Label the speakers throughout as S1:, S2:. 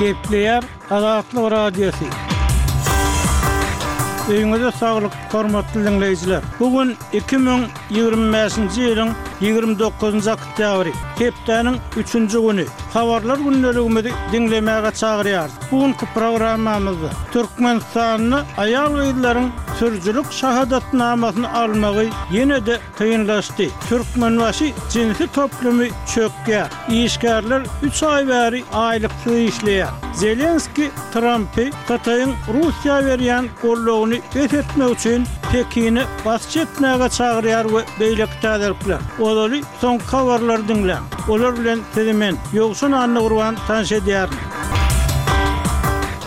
S1: Gepleýär Azatlyk Radiosy. Öýüňize saglyk, hormatly diňleýjiler! Bu gün 2025-nji ýylyň 29-njy oktýabry, hepdäniň üçünji güni. Habarlar gündeligimizi diňlemäge çagyrýarys. Bu günki programmamyzda Türkmenistanda aýal-gyzlaryň sürüjilik şahadatnamasyny almagy ýene-de kynlaşdy. Türkmenbaşy jinsi toplumy çökýär. Işgärler üç aý bäri aýlyksyz işleýär. Zelenskiý Trampy Hytaýyň Russiýa berýän goldawyny bes etmek üçin Pekine basyş etmäge çagyrýar we beýleki täzelikler. Ozaly soňky habarlary diňläň. Olar bilen sizi men, Ýowşan Annagurban tanyş edýärin.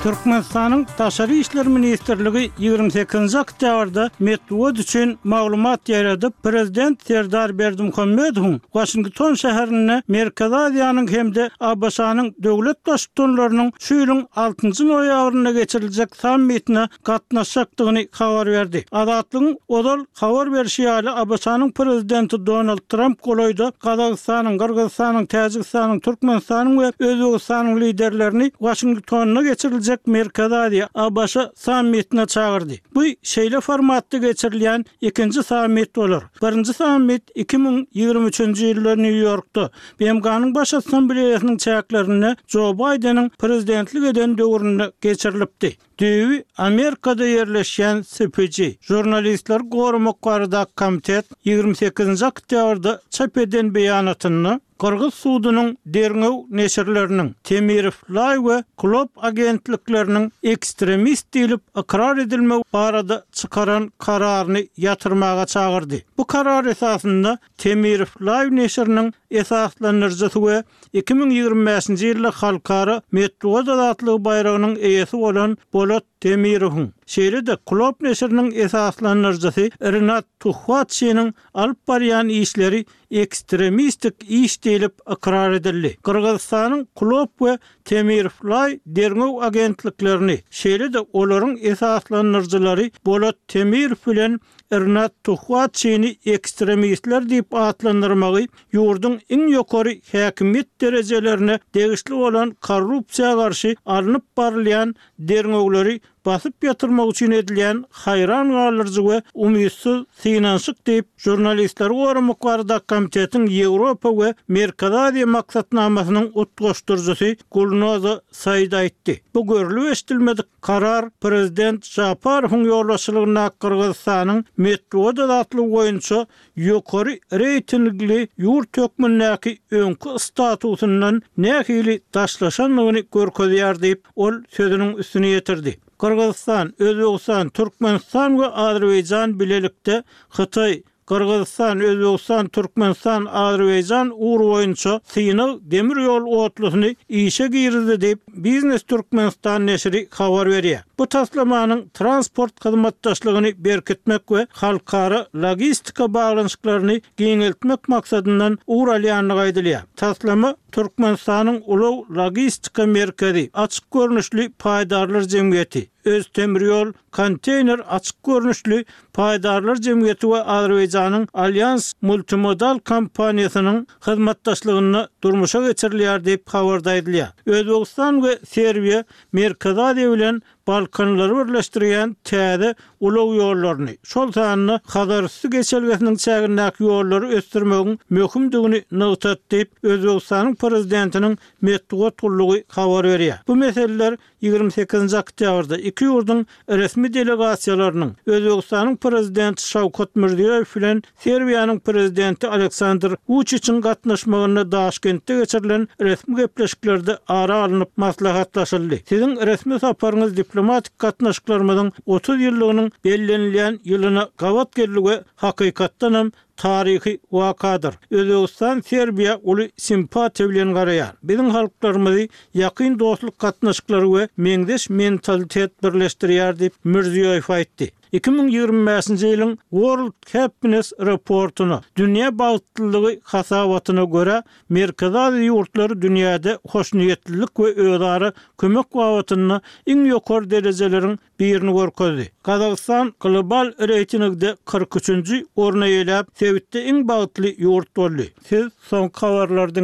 S1: Türkmenistanyň Daşary işler ministrligi 28-nji oktýabrda metbugat üçin maglumat ýaýradyp, prezident Serdar Berdimuhamedowyň Waşington şäherinde Merkezi Aziýanyň hem-de ABŞ-nyň döwlet Baştutanlarynyň şu ýylyň altynjy noýabrynda geçiriljek sammitine gatnaşjakdygyny habar berdi. Azatlygyň ozal habar berşi ýaly, ABŞ-nyň Prezidenti Donald Tramp golaýda Gazagystanyň, Gyrgyzystanyň, Täjigistanyň, Türkmenistanyň we Özbegistanyň liderlerini Waşingtonda geçiriljek Merkezi Aziýa, ABŞ sammitine çagyrdy. Bu şeýle formatda geçirilýän ikinji sammit bolar. Birinji sammit 2023-nji ýylda Nýu-Ýorkda, BMG-niň Baş Assambleýasynyň çäklerinde Jo Baýdeniň prezidentlik eden döwründe geçirilipdi. Düýbi Amerikada ýerleşýän CPJ, Žurnalistleri goramak baradaky komitet 28-nji oktýabrda çap eden beýanatynda, Gyrgyz sudunyň derňew neşirleriniň, Temirow Laý we Klob agentlikleriniň ekstremist diýlip ykrar edilmegi barada çykaran kararyny ýatyrmaga çagyrdy. Bu karar esasynda Temirow Live neşiriniň esaslandyryjysy we 2025-nji ýylda Halkara metbugat azatlygy baýragynyň eýesi bolan Bolat Temirowyň, şeýle-de Klob neşiriniň esaslandyryjysy Rinat Tuhwatşiniň alyp barýan işleri ekstremistik iş diýlip ykrar edildi. Gyrgyzystanyň Klob we Temirowlaý derňew agentliklerini, şeýle-de olaryň esaslandyryjylary Bolat Temirow bilen Rinat Tuhwatşini ekstremistler diýip atlandyrmagy ýurduň iň ýokary häkimiýet derejelerine degişli bolan korrupsiýa garşy alnyp barylýan derňewleri basyp ýatyrmak üçin edilýän haýran galdyryjy we umytsyz synanyşyk diýip, Žurnalistleri goramak baradaky komitetiň Ýewropa we Merkezi Aziýa maksatnamasynyň utgaşdyryjysy Gulnoza Said aýtdy. Bu görlüp-eşidilmedik karar prezident Žaparowyň ýolbaşçylygyndaky Gyrgyzystanyň metbugat azatlygy boýunça ýokary reýtingli ýurt hökmündäki öňki statusyndan nähili daşlaşandygyny görkezýär diýip, ol sözüniň üstüni ýetirdi. Gyrgyzystan, Özbegistan, Türkmenistan we Azerbaýjan bilelikde Hytaý, Gyrgyzystan, Özbegistan, Türkmenistan, Azerbaýjan ugry boýunça synag demir ýol otlusyny işe girizdi diýip, Biznes Türkmenistan neşiri habar berýär. Bu taslamanyň transport hyzmatdaşlygyny berkitmek we halkara logistika baglanyşyklaryny giňeltmek maksadyndan ugur alýandygy aýdylýar. Taslama Türkmenistanyň ulag-logistika merkezi açyk görnüşli paýdarlar jemgyýeti, Öztemirýol Konteýner açyk görnüşli paýdarlar jemgyýeti we Azerbaýjanyň Alýans multimodal kompaniýasynyň hyzmatdaşlygynda durmuşa geçirilýär diýip, habarda aýdylýar. Özbegistan we Serbiýa Merkezi Aziýa bilen Balkanlary birleşdirýän täze ulag ýollaryny, şol sanda Hazarüsti geçelgesiniň çägindäki ýollary ösdürmegiň möhümdigini nygtady diýip, Özbegistanyň Prezidentiniň metbugat gullugy habar berýär. Bu meseleler 28-nji oktýabrda iki ýurduň resmi delegasiýalarynyň Özbegistanyň Prezidenti Şawkat Mirziýoýew bilen Serbiýanyň Prezidenti Aleksandr Wuçiçiň gatnaşmagynda Daşkentde geçirilen resmi gepleşiklerde ara alnyp maslahatlaşyldy. Siziň resmi saparyňyz diplomatik gatnaşyklarymyzyň 30 ýyllygynyň bellenilýän ýylyna gabat geldi we hakykatdanam taryhy wakadyr. Özbegistan Serbiýa uly simpatiýa bilen garaýar. Biziň halklarymyzy ýakyn dostluk gatnaşyklary we meňzeş mentalitet birleşdirýär diýip, Mirziýoýew aýtdy. 2025-nji ýylyň World Happiness Report-una, Dünýä bagtlylygy hasabatyna, görä, Merkezi Aziýa ýurtlary dünýäde hoşniýetlilik we özara kömek babatynda iň ýokary derejeleriň birini görkezdi. Gazagystan global reýtingde 43-nji orny eýeläp, sebitde iň bagtly ýurt boldy. Siz soňky habarlary diňlediňiz.